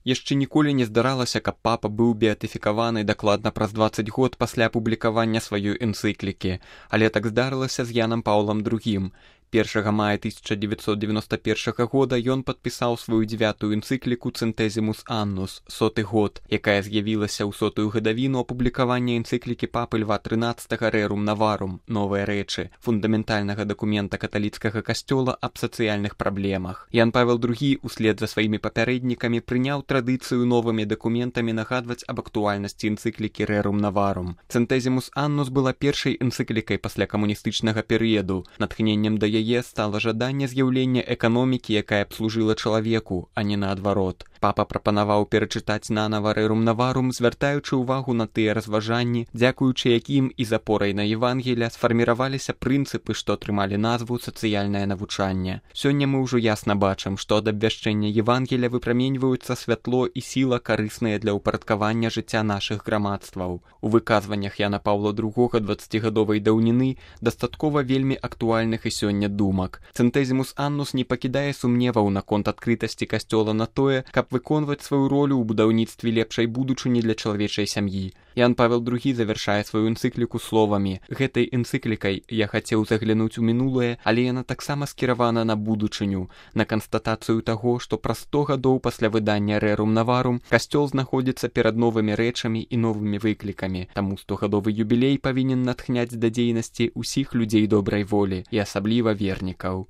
Яшчэ ніколі не здаралася, каб папа быў беатыфікаваны дакладна праз 20 год пасля апублікавання сваёй энцыклікі, але так здарылася з Янам Паўлам II. 1 мая 1991 года ён падпісаў сваю 9-ю энцыкліку «Centesimus Annus» – 100-й год, якая з'явілася ў 100-ю гадавіну апублікавання энцыклікі папы Льва XIII «Rerum Novarum» – «Новыя рэчы», фундаментальнага дакумента каталіцкага касцёла аб сацыяльных праблемах. Ян Павел II услед за сваімі папярэднікамі прыняў традыцыю новымі дакументамі нагадваць аб актуальнасці энцыклікі «Rerum Novarum». «Centesimus Annus» была першай энцыклікай пасля камуністычнага перыяду. Натхненнем да яе стала жаданне з'яўлення эканомікі, якая б служыла чалавеку, а не наадварот. Папа прапанаваў перачытаць нанава «Rerum Novarum», звяртаючы ўвагу на тыя разважанні, дзякуючы якім і з апорай на Евангелія сфарміраваліся прынцыпы, што атрымалі назву «Сацыяльнае навучанне». Сёння мы ўжо ясна бачым, што ад абвяшчэння Евангелія выпраменьваюцца святло і сіла, карысныя для ўпарадкавання жыцця нашых грамадстваў. У выказваннях Яна Паўла II 20-гадовай даўніны дастаткова вельмі актуальных і сёння думак. «Centesimus Annus» не пакідае сумневаў наконт адкрытасці касцёла на тое, каб выконваць сваю ролю ў будаўніцтве лепшай будучыні для чалавечай сям'і. Ян Павел II завяршае сваю энцыкліку словамі: «Гэтай энцыклікай я хацеў заглянуць у мінулае, але яна таксама скіравана на будучыню, на канстатацыю таго, што праз 100 гадоў пасля выдання «Rerum Novarum» касцёл знаходзіцца перад новымі рэчамі і новымі выклікамі. Таму 100-гадовы юбілей павінен натхняць да дзейнасці ўсіх людзей добрай волі і асабліва вернікаў».